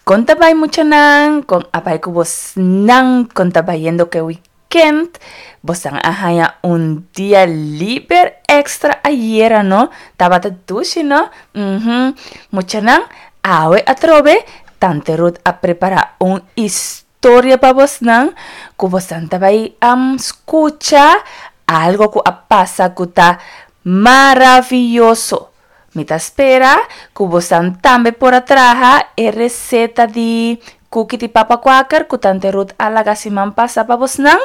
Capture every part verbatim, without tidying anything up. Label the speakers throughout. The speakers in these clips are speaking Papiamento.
Speaker 1: Kon ta bai muchanan, kon a bai ku bosnan, kon ta bayendo ku e weekend? Bosnan a haña un dia liber extra ayera no? Tabata dushi no? Mhm. Muchanan, awe atrobe Tante Ruth a prepara un historia pa bosnan ku bosnan ta bai am skucha algo ku a pasa ku ta maravioso. Mi ta spera ku bosan tambe por a traha e reseta di kuki di papa kwaker ku Tante Ruth a laga siman pasa pa bosnan.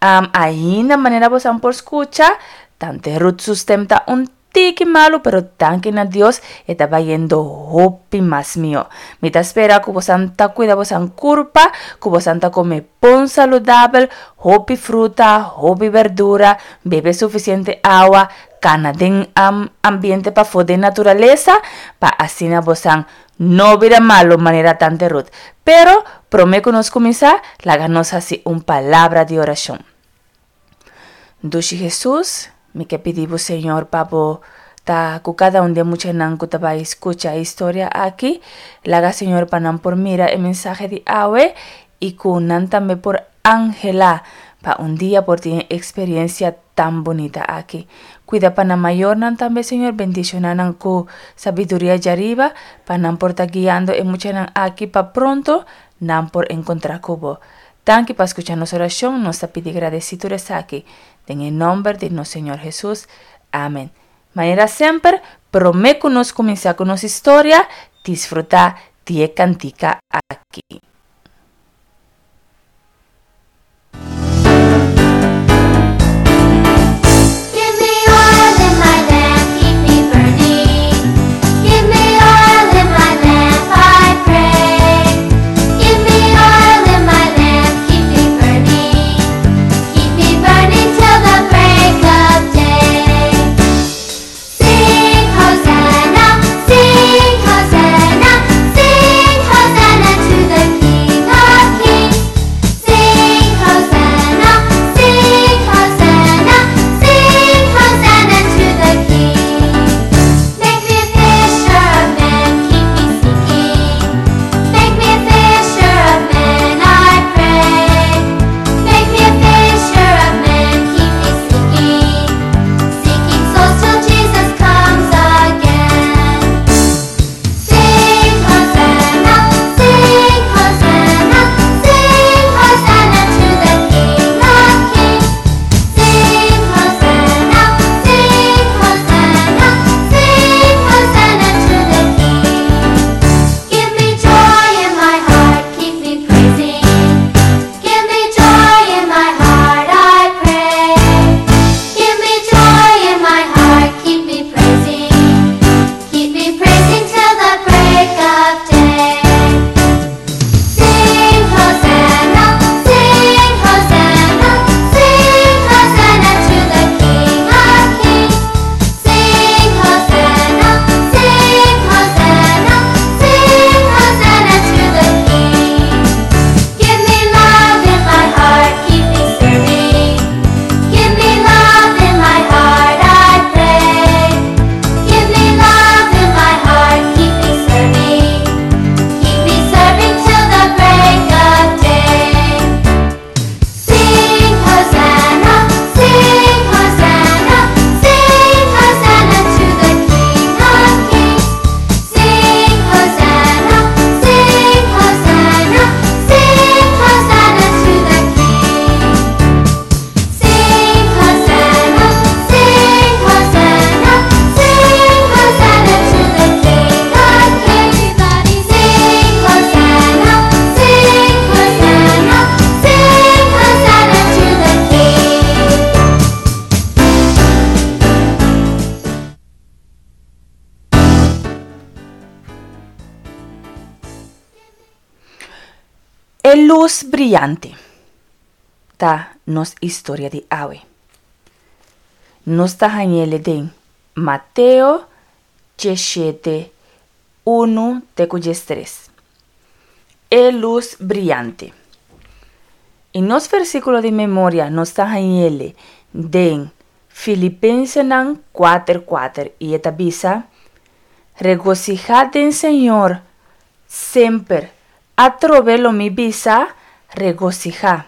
Speaker 1: Um, ainda manera bosan por skucha, Tante Ruth su stem ta un tiki malu, pero danki na Dios e ta bayendo hopi mas mihó. Mi ta spera ku bosan ta kuida bosan kurpa, ku bosan ta kome bon saludabel, hopi fruta, hopi berdura, bebe sufisiente awa, kana den um, ambiente pafó den naturalesa, pa asina bosan no bira malu manera Tante Ruth. Pero, promé ku nos kuminsá, laga nos hasi un palabra di orashon. Dushi Hesus, mi ke pidi bo Señor pa bo ta ku kada un di e muchanan ku ta bai skucha e historia aki. Laga Señor pa nan por mira e mensahe di awe i ku nan tambe por anhelá pa un dia por tin e eksperensia tan bunita aki. Kuida pa nan mayornan tambe Señor, bendishoná nan ku sabiduria djariba pa nan por ta guiando e muchanan aki pa pronto nan por enkontrá ku bo. Danki pa skucha nos orashon, nos ta pidi gradesí tur esaki den e nòmber di nos Señor Hesus. Amen. Manera semper, promé ku nos kuminsá ku nos historia, disfrutá di e kantika aki. E lus briante ta nos historia di awe. Nos ta hañ'ele den Mateo diesshete, unu te ku diestres. E lus briante. I nos versíkulo di memoria nos ta hañ'ele den Filipensenan kuater kuater i e ta bisa, Regosihá den Señor semper. Atrobe lo mi bisa, regosihá.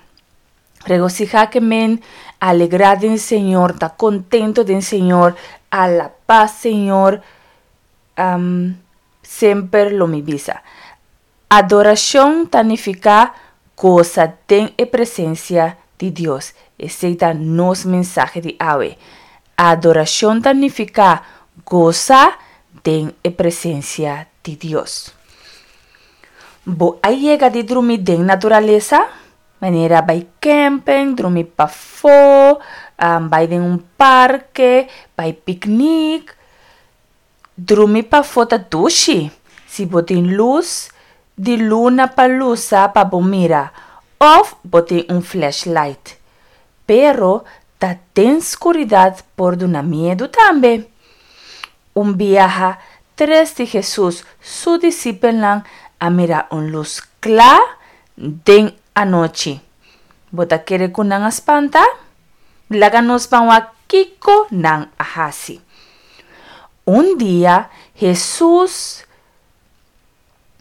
Speaker 1: Regosihá ke men alegrá den Señor, ta kontentu den Señor, alabá Señor. Um, semper lo mi bisa. Adorashon ta nifiká gosa den e presensia di Dios. Esei ta nos mensahe di awe. Adorashon ta nifiká gosa den e presensia di Dios. Bo a yega di drumi den naturalesa? Manera bai camping, drumi pafó, um, bai den un parke, bai piknik. Drumi pafó ta dushi. Si bo tin lus di luna pa lusa pa bo mira òf bo tin un flashlight. Pero ta den skuridat por duna miedu tambe. Un biaha, tres di Hesus su disipelnan a mira un lus kla den anochi. Bo ta kere ku nan a spanta? Laga nos ban wak kiko nan a hasi. Un dia Hesus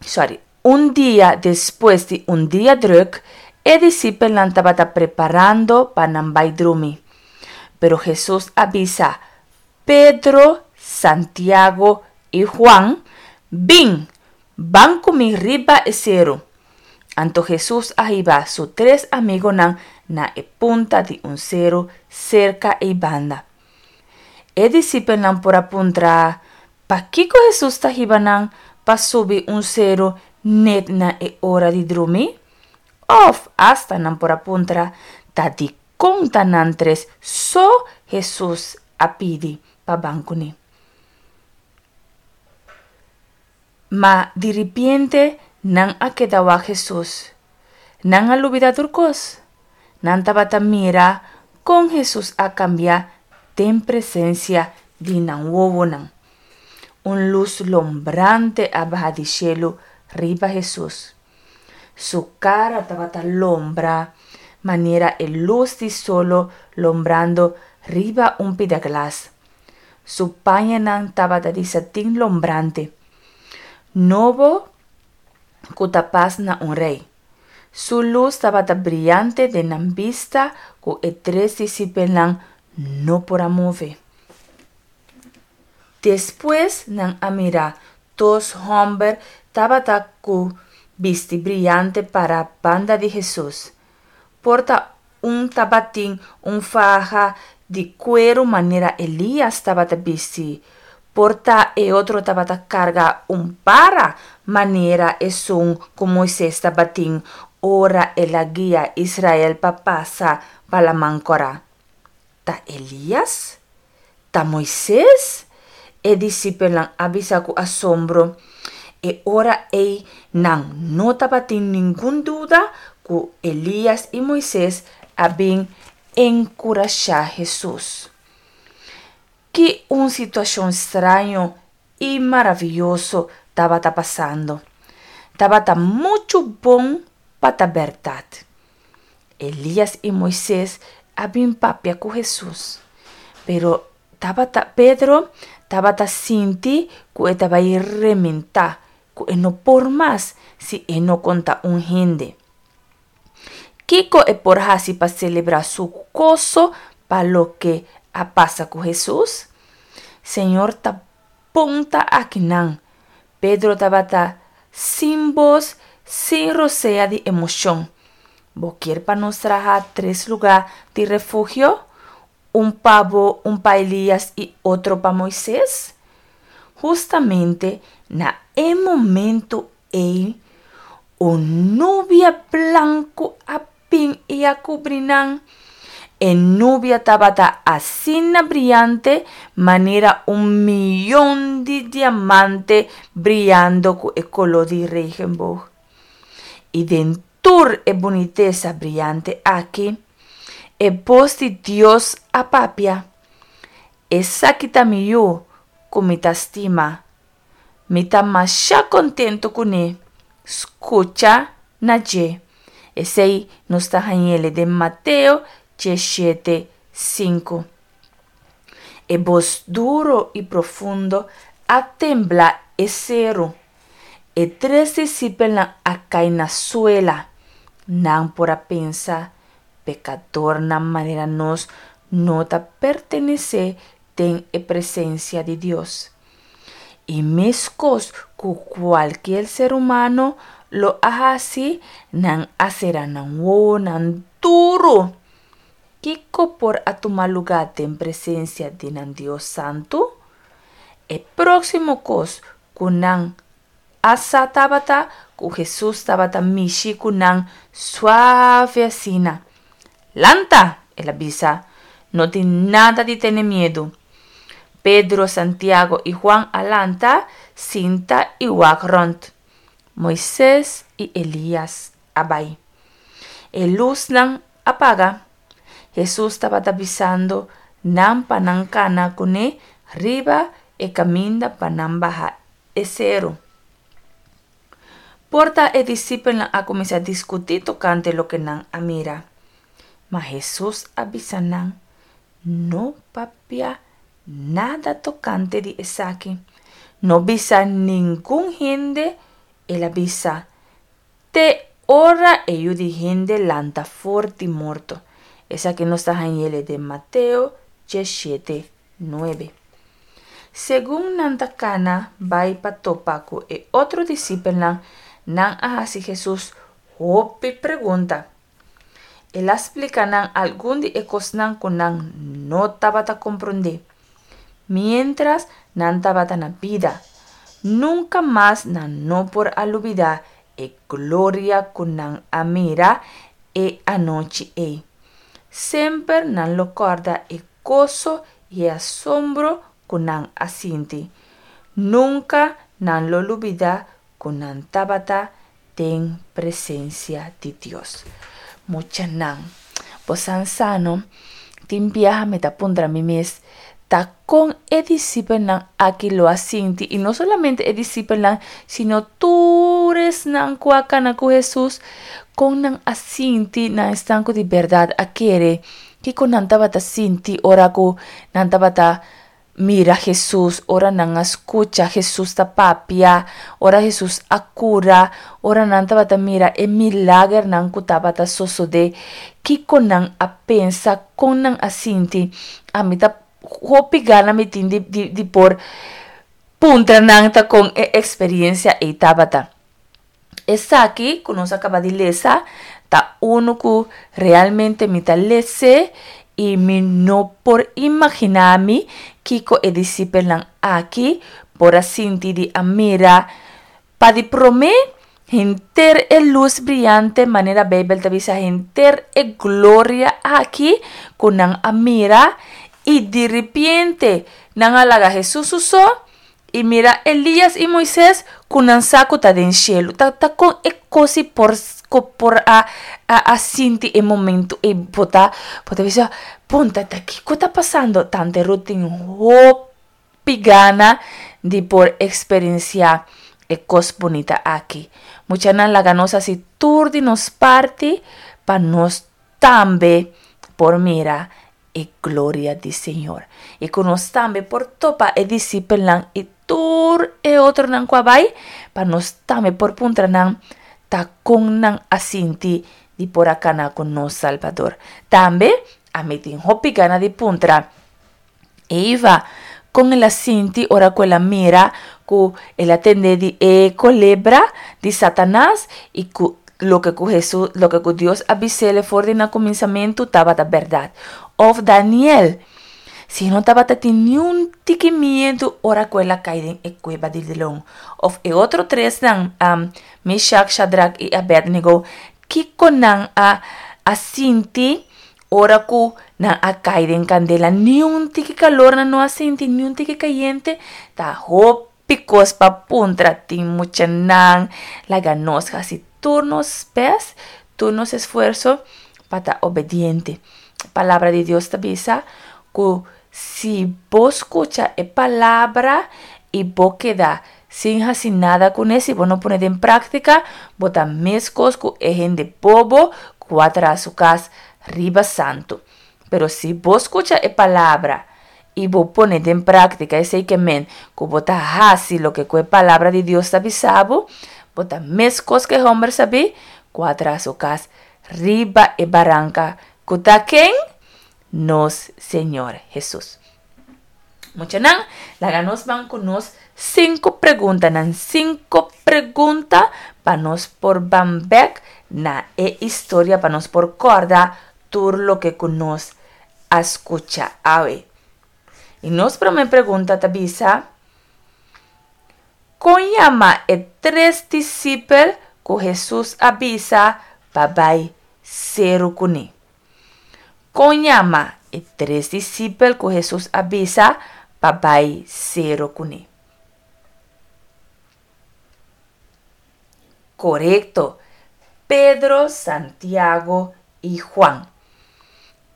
Speaker 1: sorry, un dia despues di un dia drùk, e disipelnan tabata preparando pa nan bai drumi. Pero Hesus a bisa Pedro, Santiago i Huan, Bin, ban ku mi riba e seru. Anto Hesus a hiba su tres amigunan na e punta di un seru serka ei banda. E disipelnan por a puntra, Pakiko Hesus ta hiba nan pa subi un seru nèt na e ora di drumi? Òf asta nan por a puntra, Ta dikon ta nan tres so Hesus a pidi pa ban kuné? Ma diripiente nan a keda wak Hesus. Nan a lubidá tur kos. Nan tabata mira kon Hesus a kambia den presensia di nan wowonan. Un lus lombrante a baha di shelu riba Hesus. Su kara tabata lombra manera e lus di solo lombrando riba un pida glas. Su pañanan tabata di satin lombrante, nobo ku ta pas na un rei. Su lus tabata briante den nan bista ku e tres disipelnan no por a move. Despues nan a mira dos hòmber tabata ku bisti briante para banda di Hesus. Por ta un tabatin un faha di kueru manera Elias tabata bisti, por ta e otro tabata karga un bara manera esun ku Moises tabatin ora el a guia Israel pa pasa pa Laman Kòrá. Ta Elias? Ta Moises? E disipelnan a bisa ku asombro. E ora ei nan no tabatin ningun duda ku Elias i Moises a bin enkurashá Hesus. Ki un situashon straño i maravioso tabata pasando! Tabata muchu bon pa ta bèrdat. Elias i Moises a bin papia ku Hesus. Pero tabata Pedro tabata sinti ku e ta bai rementá, ku e no por mas si e no konta un hende. Kiko e por hasi pa selebrá su goso pa loke a pasa ku Hesus? Señor ta bon ta akinan. Pedro tabata sin bos, sin rosea di emoshon. Bo kier pa nos traha tres lugá di refugio? Un pa bo, un pa Elias i otro pa Moises? Hustamente na e momento ei, un nubia blanku a bin i a kubri nan. E nubia tabata asina briante manera un miyon di diamante briando ku e koló di regenboog. I den tur e bunitesa briante aki, e bos di Dios a papia, Esaki ta mi Yu ku mi ta stima. Mi ta masha kontentu kuné. Skucha na dje. Esei nos ta hañ'el den Mateo diesshete, sinku. E bos duro i profundo a tembla e seru. E tres disipelnan a kai na suela. Nan por a pensa, Pekadornan manera nos no ta pertenesé den e presensia di Dios. I meskos ku kualkier ser humano lo a hasi, nan a sera nan wowonan duru. Kiko por a tuma lugá den presensia di nan Dios santu? E próksimo kos ku nan a sa tabata ku Hesus tabata mishi ku nan suave asina. Lanta, el a bisa, no tin nada di tene miedu. Pedro, Santiago i Juan a lanta, sinta i wak rònt. Moises i Elias a bai. E lusnan a paga. Hesus tabata bisando nan pa nan kana kuné riba e kaminda pa nan baha e seru. Por ta e disipelnan a kuminsá diskutí tokante loke nan a mira. Ma Hesus a bisa nan, No papia nada tokante di esaki. No bisa ningun hende, el a bisa, te ora e Yu di hende lanta for di morto. Esaki nos ta hañ'el den Mateo diesshete, nuebe. Segun nan ta kana bai pa topa ku e otro disipelnan, nan a hasi Hesus hopi pregunta. El a splika nan algun di e kosnan ku nan no tabata komprondé. Miéntras nan tabata na bida, nunka mas nan no por a lubidá e gloria ku nan a mira e anochi ei. Semper nan lo kòrda e goso i e asombro ku nan a sinti. Nunka nan lo lubidá ku nan tabata den presensia di Dios. Muchanan, bosan sa no, tin biaha mi ta puntra mi mes, ta kon e disipelnan aki lo a sinti, i no solamente e disipelnan, sino tur esnan ku a kana ku Hesus, kon nan a sinti na esnan ku di bèrdat a kere, kiko nan tabata sinti ora ku nan tabata mira Hesus, ora nan a skucha Hesus ta papia, ora Hesus a kura, ora nan tabata mira e milagernan ku tabata sosodé, kiko nan a pensa, kon nan a sinti. Ami ta hopi gana mi tin di, di, di por puntra nan ta kon e eksperiencia ei tabata. Esaki ku nos a kaba di lesa ta unu ku realmente mi ta les'é i mi no por imaginá mi kiko e disipelnan aki por a sinti di a mira pa di promé henter e lus briante, manera Beibel ta bisa, henter e gloria aki ku nan a mira i diripiente nan a laga Hesus su so i mira Elias i Moises ku nan sa ku ta den shelu. Ta ta kon e kos i por ku por a a a sinti e momentu ei bo ta bo ta bisa punta ta kiko ta pasando? Tante Ruth tin hopi gana di por eksperensiá e kos bunita aki. Muchanan laga nos hasi tur di nos parti pa nos tambe por mira e gloria di Señor. I ku nos tambe por topa e disipelnan i tur e otronan ku a bai, pa nos tambe por puntra nan ta kon nan a sinti di por a kana ku nos Salbador. Tambe ami tin hopi gana di puntra Eva kon el a sinti ora ku el a mira ku el a tende di e kolebra di Satanas i ku loke ku Hesus, loke ku Dios a bis'é for di na kuminsamentu tabata bèrdat. Òf Daniel, si no tabata tin niun tiki miedu ora ku el a kai den e kueba di leon. Òf e otro tresnan, um, Meshak, Shadrak i Abednego, kiko nan a, a sinti ora ku nan a kai den kandela? Niun tiki kalor nan no a sinti, niun tiki kayente. Ta hopi kos pa puntra tin muchanan. Laga nos hasi tur nos best, tur nos esfuerso pa ta obediente. Palabra di Dios ta bisa ku si bo skucha e palabra i bo keda sin hasi nada kuné, si bo no pone den práktika, bo ta meskos ku e hende bobo ku a traha su kas riba santu. Pero si bo skucha e palabra I bo pone den práktika, esei ke men ku bo ta hasi loke ku e Palabra di Dios ta bisa bo, bo ta meskos ku e hòmber sabí ku a traha su kas riba e baranka ku ta ken? Nos Señor Hesus. Muchanan, laga nos ban ku nos sinku preguntanan, sinku pregunta pa nos por ban bèk na e historia, pa nos por kòrda tur loke ku nos a skucha awe. I nos promé pregunta ta bisa, Kon yama e tres disipel ku Hesus a bisa pa bai seru kuné? Kon yama e tres disipel ku Hesus a bisa pa bai seru kuné? Korekto, Pedro, Santiago i Juan.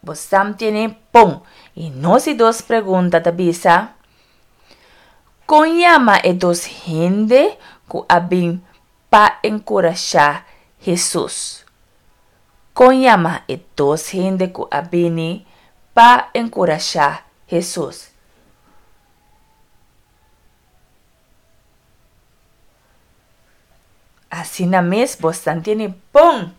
Speaker 1: Bo sam tiene bon. I nos di dos pregunta ta bisa, Kon yama e dos hende ku a bin pa enkurashá Hesus? Kon yama e dos hende ku a bini pa enkurashá Hesus? Asina mes bosnan tiene bon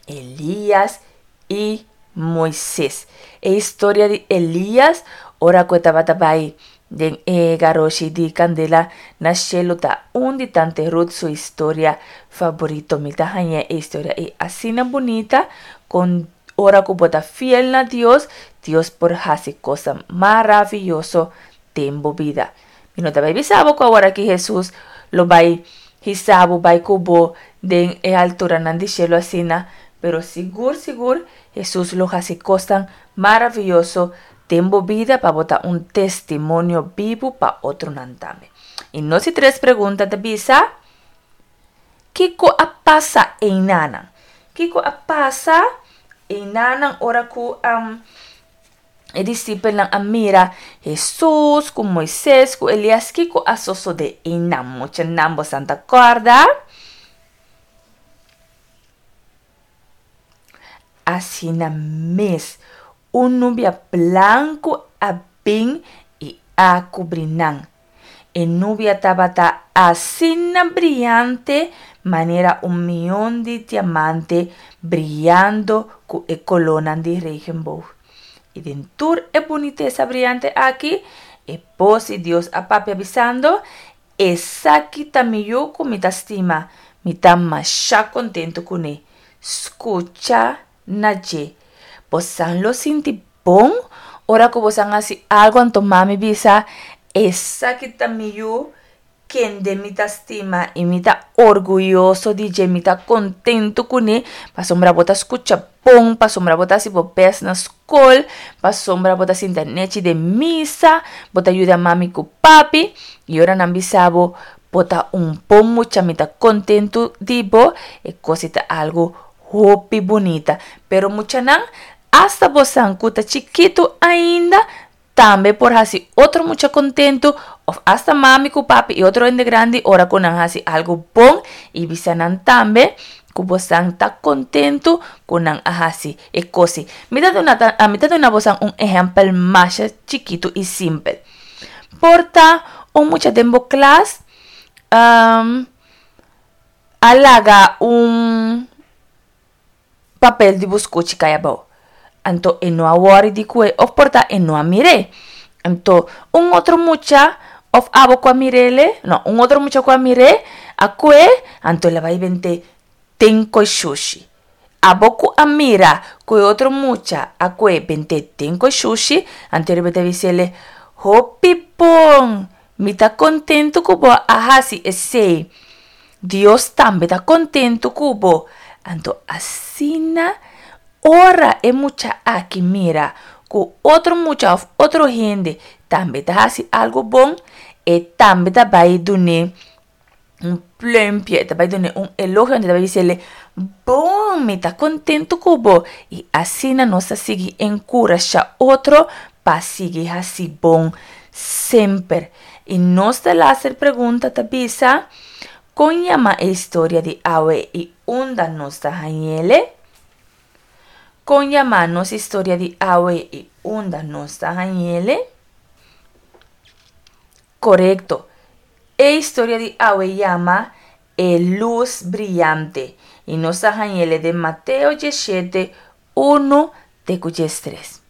Speaker 1: Elías i Moises. E historia di Elías ora ku e tabata bai den e garoshi di kandela na shelu ta un di Tante Ruth su historia faborito. Mi ta haña e historia ei asina bunita kon ora ku bo ta fiel na Dios, Dios por hasi kosnan maraviyoso den bo bida. Mi no ta bai bisa bo ku aworaki Hesus lo bai hisa bo bai ku bo den e alturanan di shelu asina, pero sigur sigur Hesus lo hasi kosnan maraviyoso den bo bida pa bo ta un testimonio bibu pa otronan tambe. I nos di tres pregunta ta bisa, Kiko a pasa einanan? Kiko a pasa einanan ora ku e disipelnan a mira Hesus ku Moises ku Elias? Kiko a sosodé einan? Muchanan, bosan ta kòrda? Asina mes, un nubia blanku a bin i a kubri nan. E nubia tabata asina briante manera un mion di diamante briando ku e kolónan di regenboog. I den tur e bunitesa briante aki, e bos di Dios a papia bisando, Esaki ta mi Yu ku mi ta stima, mi ta masha kontentu kuné. Skucha na dje. Bosan lo sinti bon ora ku bosan hasi algu anto mami bisa, Esaki ta mi yu kende mi ta stima i mi ta orguyoso di dje, mi ta kontentu kuné pasobra bo ta skucha bon, pasobra bo ta hasi bo bèst na skol, pasobra bo ta sinta nechi den misa, bo ta yuda mami ku papi. I ora nan bisa bo, Bo ta un bon mucha, mi ta kontentu di bo, e kos ei ta algu hopi bunita. Pero muchanan, asta bosan ku ta chikitu ainda, tambe por hasi otro mucha kontentu òf asta mami ku papi i otro hende grandi ora ku nan hasi algu bon i bisa nan tambe ku bosan ta kontentu ku nan a hasi e kos ei. Mi ta duna mi ta duna bosan un ehèmpel masha chikitu i simpel. Por ta un mucha den bo klas a laga un papel di buskuchi kai abou. Anto e no a wòri di ku e òf por ta e no a mir'é. Anto un otro mucha òf abo ku a mir'é, no, un otro mucha ku a mir'é a kue, anto el a bai bent'é den koshushi. Abo ku a mira ku e otro mucha a kue bent'é den koshushi, anto e riba ta bis'é, Hopi bon! Mi ta kontentu ku bo a hasi esei. Dios tambe ta kontentu ku bo. Anto asina ora e mucha aki mira ku otro mucha òf otro hende tambe ta hasi algu bon, e tambe ta bai dun'é un plùmpje, e ta bai dun'é un elogio, e ta bai bis'é, Bon, mi ta kontentu ku bo. I asina nos ta sigui enkurashá otro pa sigui hasi bon semper. I nos ta laster pregunta ta bisa, Kon yama e historia di awe i unda nos ta hañ'ele? Kon yama nos historia di awe i unda nos ta hañ'ele? Korekto. E historia di awe yama E Lus Briante i nos a hañ'ele den Mateo diesshete, unu te ku diestres.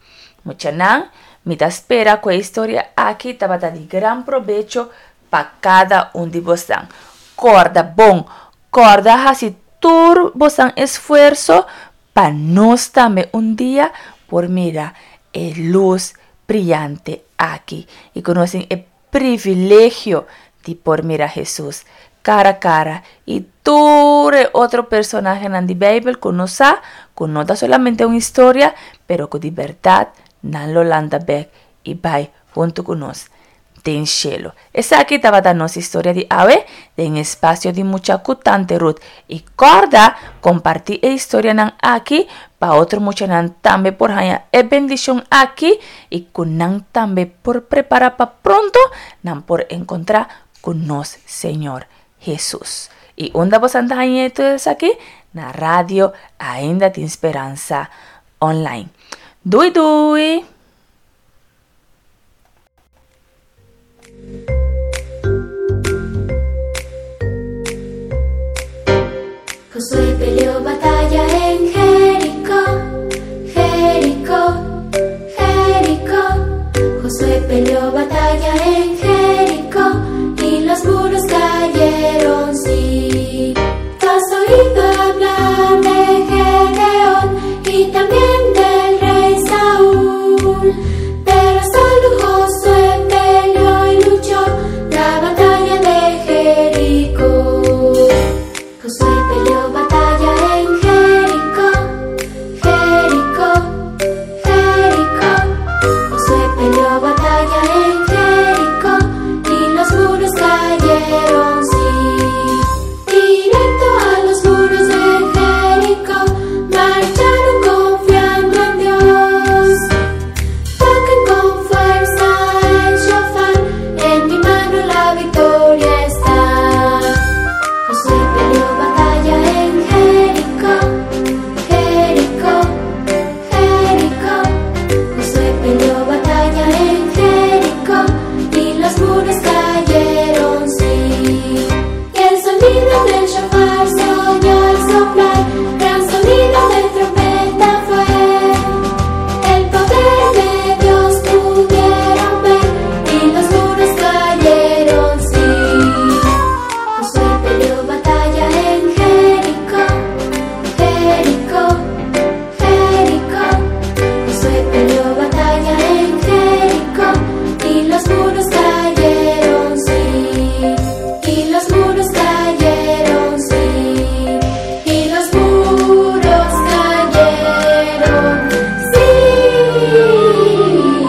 Speaker 1: Muchanan, mi ta spera ku e historia aki tabata di gran probecho pa kada un di bosnan. Kòrda bon, kòrda hasi tur bosnan esfuerso pa nos tambe un dia por mira e lus briante aki i ku nos tin e privilegio di por mira Hesus kara kara i tur e otro personahenan di Beibel ku nos sa ku no ta solamente un historia pero ku di bèrdat nan lo lanta bèk i bai huntu ku nos den shelu. Esaki tabata nos historia di awe den Espacio di Mucha ku Tante Ruth. I kòrda kompartí e historianan aki pa otro muchanan tambe por haña e bendishon aki i ku nan tambe por prepará pa pronto nan por enkontrá ku nos Señor Hesus. I unda bosan ta haña tur esaki? Na Radio Ainda Tin Speransa Online. Dui dui!
Speaker 2: Josué peleó batalla en Jericó, Jericó, Jericó. Josué peleó batalla en Jericó y los muros cayeron, sí. Tú has oído hablar de Gedeón y también del rey Saúl, pero solo Josué peleó y luchó la batalla de Jericó. Josué